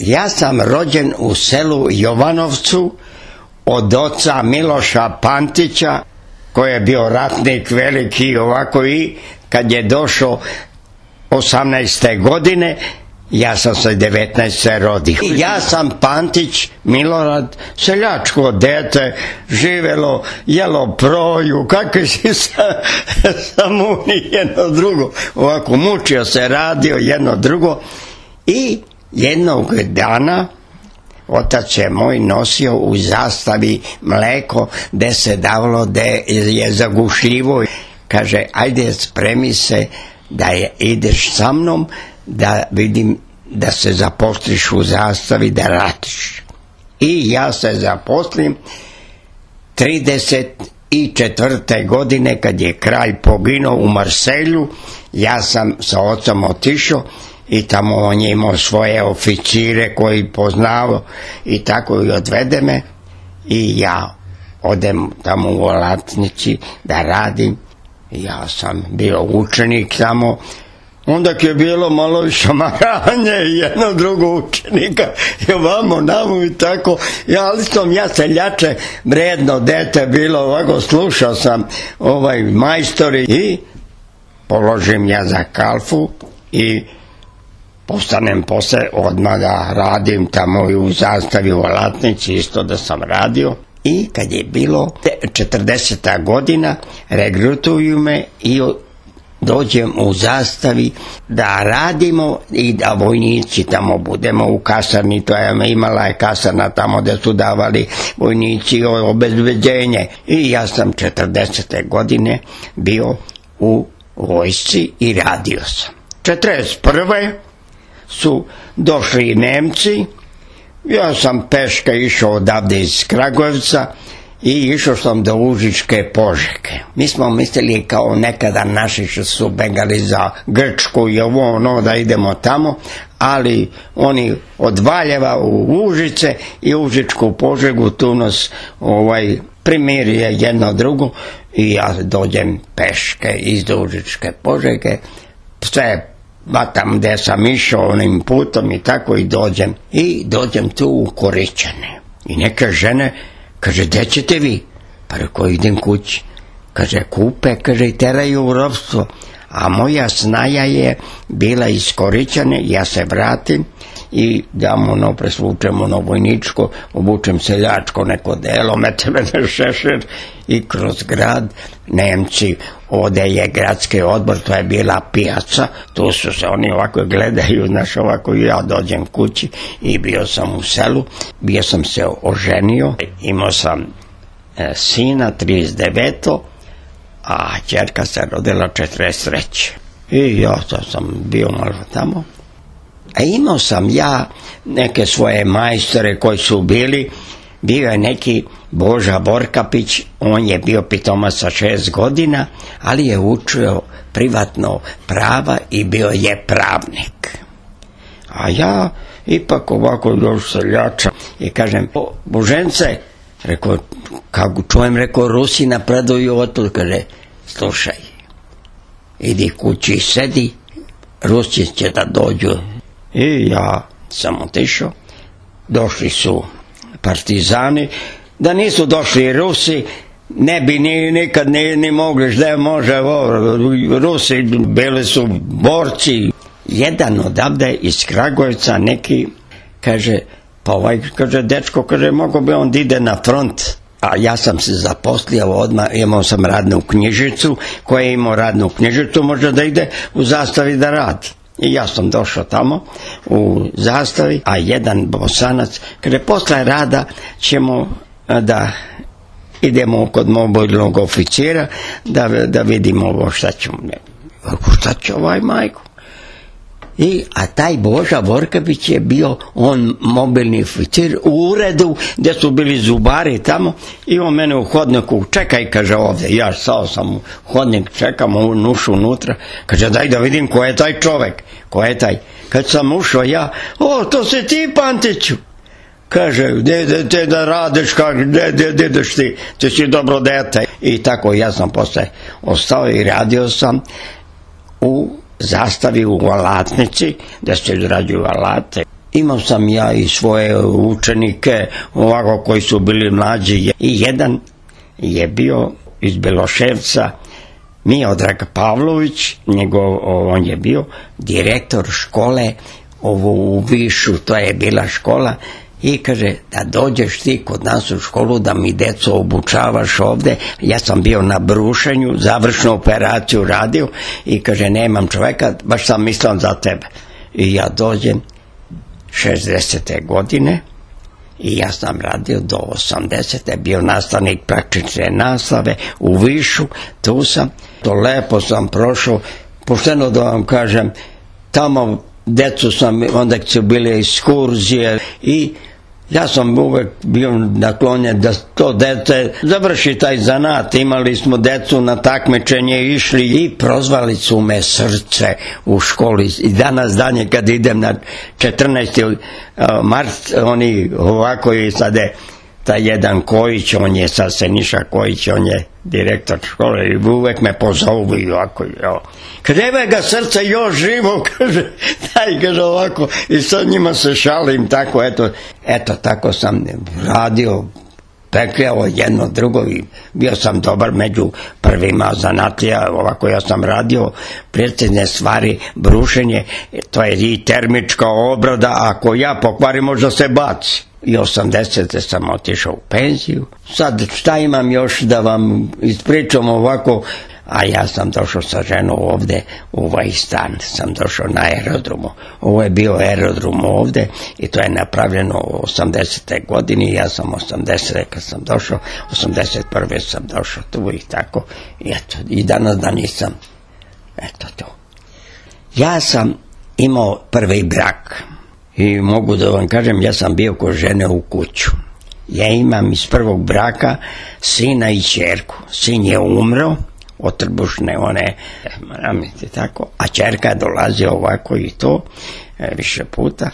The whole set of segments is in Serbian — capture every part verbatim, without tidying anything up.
Ja sam rođen u selu Jovanovcu od oca Miloša Pantića, koji je bio ratnik veliki ovako, i kad je došao osamnaeste godine, ja sam se devetnaeste rodio. Ja sam Pantić Milorad, seljačko dete, živelo, jelo proju, kakvi si sa, sa muni jedno drugo, ovako mučio se, radio jedno drugo. I jednog dana otac je moj nosio u zastavi mleko gde se davalo, gde je zagušljivo. Kaže, ajde spremi se da je, ideš sa mnom da vidim da se zaposliš u zastavi, da radiš. I ja se zaposlim trideset četvrte godine kad je kralj poginuo u Marselju. Ja sam sa ocom otišao i tamo on je imao svoje oficire koji poznao i tako i odvede me i ja odem tamo u Alatnici da radim. Ja sam bio učenik tamo. Onda je bilo malo i šamaranje i jedno drugo učenika i ovamo namo i tako. Ja, ali sam ja seljače, vredno dete bilo, ovako slušao sam ovaj majstori i položim ja za kalfu i postanem posle odmah da radim tamo i u zastavi u Alatnici, isto da sam radio. I kad je bilo četrdeseta godina, regrutuju me i dođem u zastavi da radimo i da vojnici tamo budemo u kasarni. To je imala je kasarna tamo gde su davali vojnici obezbeđenje. I ja sam četrdesete godine bio u vojsci i radio sam. četrdeset prve su došli Nemci. Ja sam peške išao odavde iz Kragujevca i išao sam do Užičke Požege. Mi smo mislili kao nekada naši što su begali za Grčku i ovo ono da idemo tamo, ali oni od Valjeva u Užice i Užičku Požegu tu nas ovaj, primirije jedno drugo i ja dođem peške iz Užičke Požege, sve batam gde sam išao onim putom i tako i dođem. I dođem tu u Koričane. I neke žene, kaže, gde ćete vi? Pa rekao, idem kući. Kaže, kupe, kaže, i teraju u ropstvo. A moja snaja je bila iz Koričane, ja se vratim i dam ono, presvučem ono vojničko, obučem seljačko neko delo, mete me na šešir i kroz grad Nemci, ovde je gradski odbor, to je bila pijaca, tu su se oni ovako gledaju, znaš, ovako, ja dođem kući i bio sam u selu, bio sam se oženio, imao sam e, sina trideset deveto a ćerka se rodila četrdeset treće i ja to sam bio malo tamo. A imao sam ja neke svoje majstore koji su bili, bio je neki Boža Vorkapić, on je bio pitomac sa šest godina, ali je učio privatno prava i bio je pravnik. A ja ipak ovako još seljača i kažem, Božence, rekao, kako čujem, rekao, Rusi napreduju otud, kaže, slušaj, idi kući, sedi, Rusi će da dođu. I ja sam otišao, došli su partizani, da nisu došli Rusi, ne bi ni, nikad ni, ni mogli, da može, o, Rusi bili su borci. Jedan odavde iz Kragujevca neki kaže, pa ovaj, kaže, dečko, kaže, mogo bi on da ide na front. A ja sam se zaposlio odmah, imao sam radnu knjižicu, koja je imao radnu knjižicu, može da ide u zastavi da radi. I ja sam došao tamo u zastavi, a jedan Bosanac, kaže, posle rada ćemo da idemo kod mobilnog oficira, da, da vidimo ovo šta ćemo. Šta će ovaj majko? I, a taj Boža Vorkapić je bio on mobilni oficir u uredu gde su bili zubari tamo i on mene u hodniku, čekaj, kaže, ovde. Ja stao sam u hodnik, čekam, on ušao unutra, kaže, daj da vidim ko je taj čovek, ko je taj. Kad sam ušao ja, o, to si ti, Pantiću. Kaže, gde te da radiš, kaže, gde, gde, gde ideš ti, ti si dobro dete. I tako ja sam posle ostao i radio sam u zastavi u Alatnici, da se izrađuju alate. imao sam ja i svoje učenike, ovako koji su bili mlađi. I jedan je bio iz Beloševca, Miodrag Pavlović, njegov, on je bio direktor škole ovo u Višu, to je bila škola, i kaže da dođeš ti kod nas u školu da mi deco obučavaš ovde. Ja sam bio na brušenju, završnu operaciju radio i kaže nemam čoveka, baš sam mislio za tebe. I ja dođem šezdesete godine i ja sam radio do osamdesete, bio nastavnik praktične nastave u Višu, tu sam, to lepo sam prošao, pošteno da vam kažem, tamo decu sam, onda su bile ekskurzije i ja sam uvek bio naklonjen da to dete završi taj zanat. Imali smo decu na takmičenje išli i prozvali su me Srce u školi. I danas danje kad idem na četrnaesti mart, oni ovako i sad je taj jedan Kojić, on je sad Seniša Kojić, on je direktor škole i uvek me pozovu i ovako. Kaže, evo ga Srce još živo, kaže, daj, kaže ovako, i sad njima se šalim, tako, eto, eto, tako sam radio, pekljao jedno drugo i bio sam dobar među prvima zanatlija, ovako ja sam radio precizne stvari, brušenje, to je i termička obrada, ako ja pokvarim možda se baci. I osamdesete sam otišao u penziju. Sad šta imam još da vam ispričam ovako, a ja sam došao sa ženom ovde u ovaj stan, sam došao na aerodromu. Ovo je bio aerodrom ovde i to je napravljeno u osamdesete godini, ja sam osamdesete kad sam došao, osamdeset prve sam došao tu i tako, i eto, i danas da nisam, eto to. Ja sam imao prvi brak. I mogu da vam kažem, ja sam bio kod žene u kuću. Ja imam iz prvog braka sina i ćerku. Sin je umro od trbušne one, tako, a ćerka dolazi ovako i to više puta.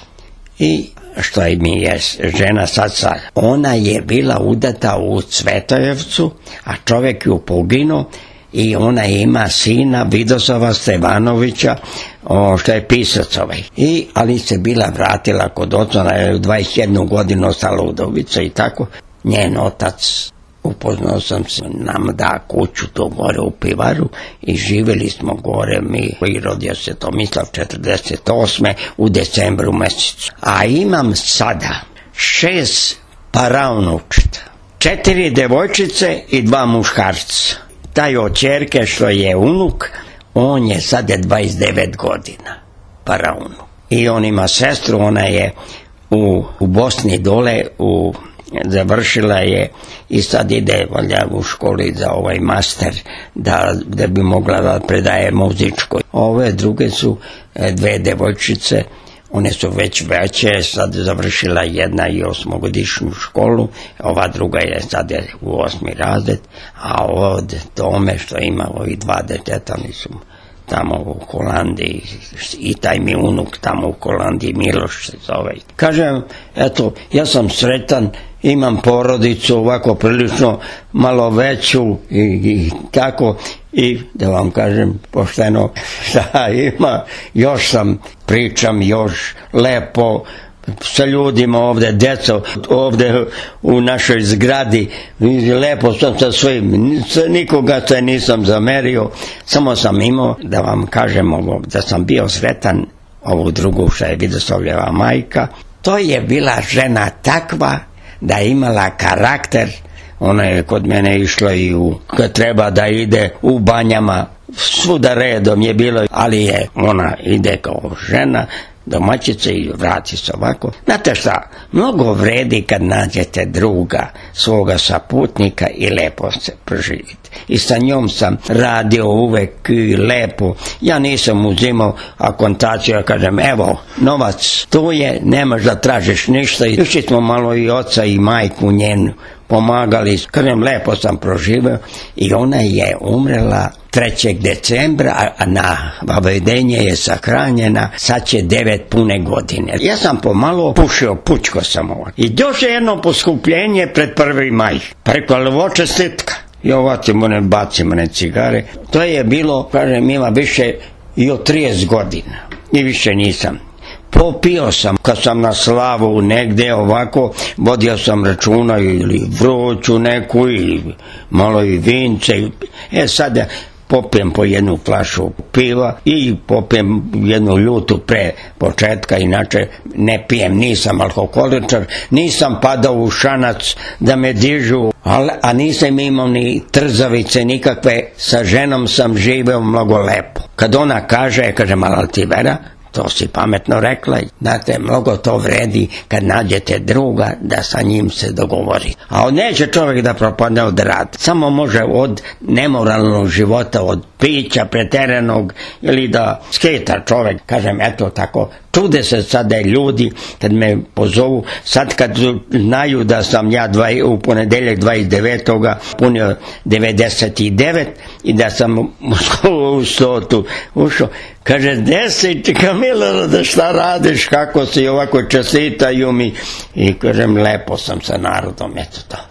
I što je mi je žena sad sad, ona je bila udata u Cvetojevcu, a čovjek ju poginuo. I ona ima sina Vidoslava Stevanovića, o, što je pisac ovaj. I, ali se bila vratila kod oca, ona je u dvadeset jednu godinu ostala udovica i tako. Njen otac, upoznao sam se, nam da kuću to gore u Pivaru i živjeli smo gore mi. I rodio se Tomislav četrdeset osme u decembru mesecu. A imam sada šest paraunučeta, četiri devojčice i dva muškarca. Taj od ćerke što je unuk, on je sad je dvadeset devet godina, paraunuk. I on ima sestru, ona je u, u Bosni dole, u, završila je i sad ide valjda u školi za ovaj master, da, da bi mogla da predaje muzičko. Ove druge su dve devojčice, one su već veće, sad završila jedna i osmogodišnju školu, ova druga je sad je u osmi razred, a od tome što ima ovi dva deteta, oni su tamo u Holandiji, i taj mi unuk tamo u Holandiji, Miloš se zove. Kažem, eto, ja sam sretan, imam porodicu ovako prilično malo veću i, i tako, i da vam kažem pošteno šta ima, još sam, pričam još lepo sa ljudima ovde, deco ovde u našoj zgradi, lepo sam sa svojim, nikoga se nisam zamerio, samo sam imao da vam kažem ovo, da sam bio sretan ovu drugu što je Vidoslavljeva majka. To je bila žena takva da je imala karakter. Ona je kod mene išla i u, kad treba da ide u banjama, svuda redom je bilo, ali je ona ide kao žena, domaćica i vrati se ovako. Znate šta, mnogo vredi kad nađete druga, svoga saputnika i lepo se proživite. I sa njom sam radio uvek i lepo. Ja nisam uzimao akontaciju, ja kažem, evo, novac, tu je, nemaš da tražiš ništa. Išli smo malo i oca i majku njenu, pomagali, kažem, lepo sam proživao i ona je umrela trećeg decembra, a na vavedenje je sahranjena, sad će devet pune godine. Ja sam pomalo pušio, pučko sam ovak. I došlo jedno poskupljenje pred prvi maj, preko levoče stitka. I ovacimo ne bacimo ne cigare. To je bilo, kažem, ima više i od trideset godina. I više nisam. popio sam, kad sam na slavu negde ovako, vodio sam računa ili vruću neku ili malo i vince. E sad popijem po jednu flašu piva i popijem jednu ljutu pre početka, inače ne pijem, nisam alkoholičar, nisam padao u šanac da me dižu, ali, a nisam imao ni trzavice nikakve, sa ženom sam živeo mnogo lepo. Kad ona kaže, kaže, malo ti Vera, to si pametno rekla, znate, mnogo to vredi kad nađete druga da sa njim se dogovori. A neće čovjek da propadne od rada, samo može od nemoralnog života, od pića preteranog ili da sketa čovjek, kažem, eto tako. Čude se sada ljudi kad me pozovu, sad kad znaju da sam ja dva, u ponedeljak dvadeset devetog punio devedeset devet i da sam u stotu ušao, kaže, deset, Kamilo, da šta radiš, kako si, ovako čestitaju mi, i kažem, lepo sam sa narodom, eto to.